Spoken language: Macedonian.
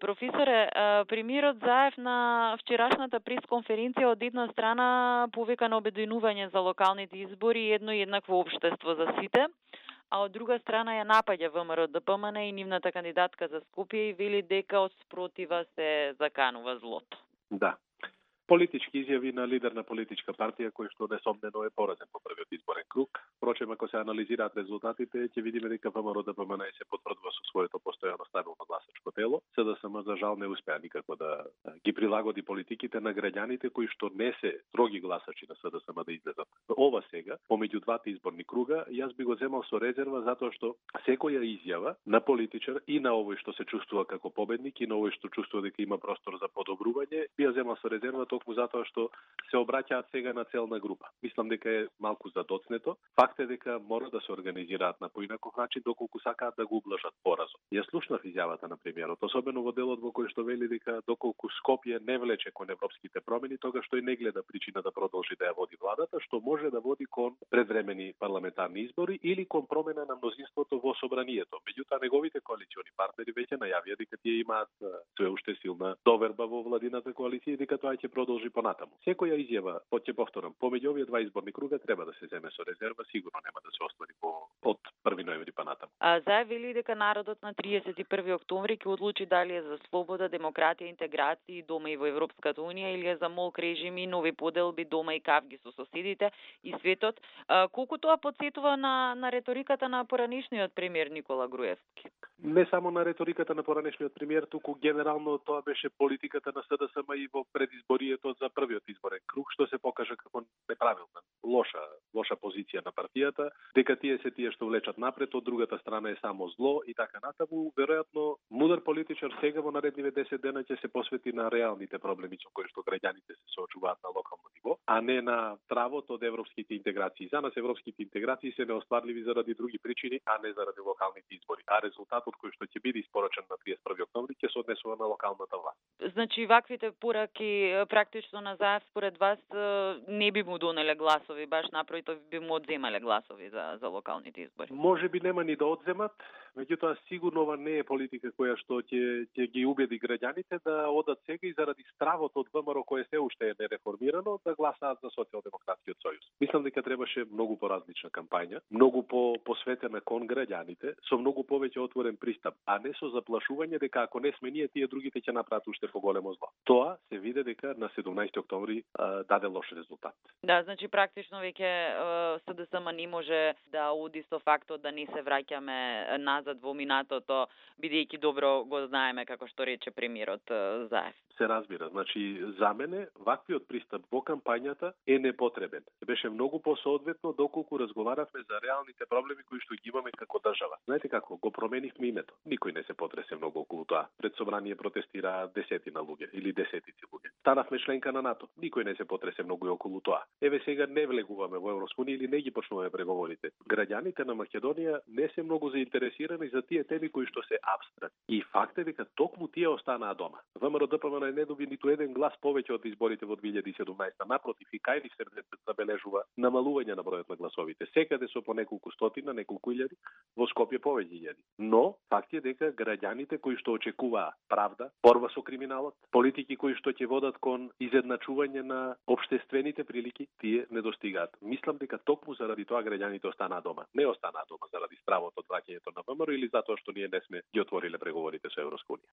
Професоре, премиерот Заев на вчерашната пресконференција од една страна повика на обединување за локалните избори и едно еднакво општество за сите, а од друга страна ја напаѓа ВМРО ДПМН и нивната кандидатка за Скопје и вели дека од спротива се заканува злото. Да. Политички изјави на лидер на политичка партија кој што несомнено е поразен по првиот изборен круг. Впрочем, ако се анализираат резултатите, ќе видиме дека ВМРО ДПМН се потврдува со своето постојано стабилно гласачко тело. СДСМ за жал не успеа никако да ги прилагоди политиките на граѓаните кои што не се строги гласачи на СДСМ да излезат. Ова сега, помеѓу двата изборни круга, јас би го земал со резерва затоа што секоја изјава на политичар и на овој што се чувствува како победник и на овој што чувствува дека има простор за подобрување, би ја земал со резерва токму затоа што се обраќаат сега на целна група. Мислам дека е малку задоцнето. Факт е дека мора да се организираат на поинаков начин доколку сакаат да го ублажат поразот. Јас слушнав изјавата на премиерот, особено во делот во кој што вели дека доколку Скопје не влече кон европските промени, тогаш тој не гледа причина да продолжи да ја води владата, што може да води кон предвремени парламентарни избори или кон промена на мнозинството во собранието. Меѓутоа неговите коалициони партнери веќе најавија дека тие имаат све уште силна доверба во владината коалиција и дека тоа ќе продолжи понатаму. Секоја изјава, ќе повторам, помеѓу овие два изборни круга треба да се земе со резерва, сигурно нема да се оствари од 1 ноември понатаму. Заев вели дека народот на 31 октомври ќе одлучи дали е за слобода, демократија, интеграција дома и во Европската унија или е за молк режими, нови поделби дома и кавги со соседите и светот. Колку тоа потсетува на реториката на поранешниот премиер Никола Груевски? Не само на реториката на поранешниот премиер, туку генерално тоа беше политиката на СДСМ и во предизборието за првиот изборен круг, што се покажа како неправилна, лоша позиција на партијата, дека тие се тие што влечат напред, од другата страна е само зло и така натаму. Веројатно, мудар политичар сега во наредниве 10 дена ќе се посвети на реалните проблеми со кои што граѓаните се соочуваат на локално ниво, а не на травот од европските интеграции. За нас европските интеграции се неостварливи заради други причини, а не заради локалните избори. А резултатот кој што ќе биде испорачен на 31 октомври ќе се однесува на локалната власт. Значи, ваквите пораки практично на Заев според вас не би му донеле гласови, баш напротив би му одземале гласови за локалните избори. Може би нема ни да одземат, меѓутоа сигурно ова не е политика која што ќе ги убеди граѓаните да одат сега и заради стравот од ВМРО кое се уште е нереформирано да гласаат за Социјалдемократскиот сојуз. Мислам дека требаше многу поразлична кампања, многу посветена кон граѓаните, со многу повеќе отворен пристап, а не со заплашување дека ако не сме ние, тие другите ќе направат уште поголемо зло. Тоа се виде дека на 17 октомври даде лош резултат. Да, значи практично веќе СДСМ не може да оди со фактот да не се враќаме назад во минатото, бидејќи добро го знаеме како што рече премиерот Заев. Се разбира, значи за мене ваквиот пристап во кампањата е непотребен. Беше многу посоодветно доколку разговаравме за реалните проблеми кои што ги имаме како држава. Знаете како, го променивме името. Никој не се потресе многу околу тоа. Пред собрание протестираа десетина луѓе или десетици луѓе. Станавме членка на НАТО. Никој не се потресе многу околу тоа. Еве сега не влегуваме во Европска унија или не ги почнуваме преговорите. Граѓаните на Македонија не се многу заинтересирани за тие теми кои што се апстрактни. И факт е дека токму тие останаа дома. ВМРО ДПМН не доби ниту еден глас повеќе од изборите во 2017. Напротив, и кај ни се забележува намалување на бројот на гласовите. Секаде со по неколку стотина, неколку илјади, во Скопје повеќе илјади. Но факт е дека граѓаните кои што очекуваа правда, борба со криминалот, политики кои што ќе водат кон изедначување на општествените прилики, тие не достигаат. Мислам дека токму заради тоа граѓаните останаа дома. Не останаа дома заради стравот од враќањето на ВМРО или затоа што ние не сме ги отвориле преговорите со Европска унија.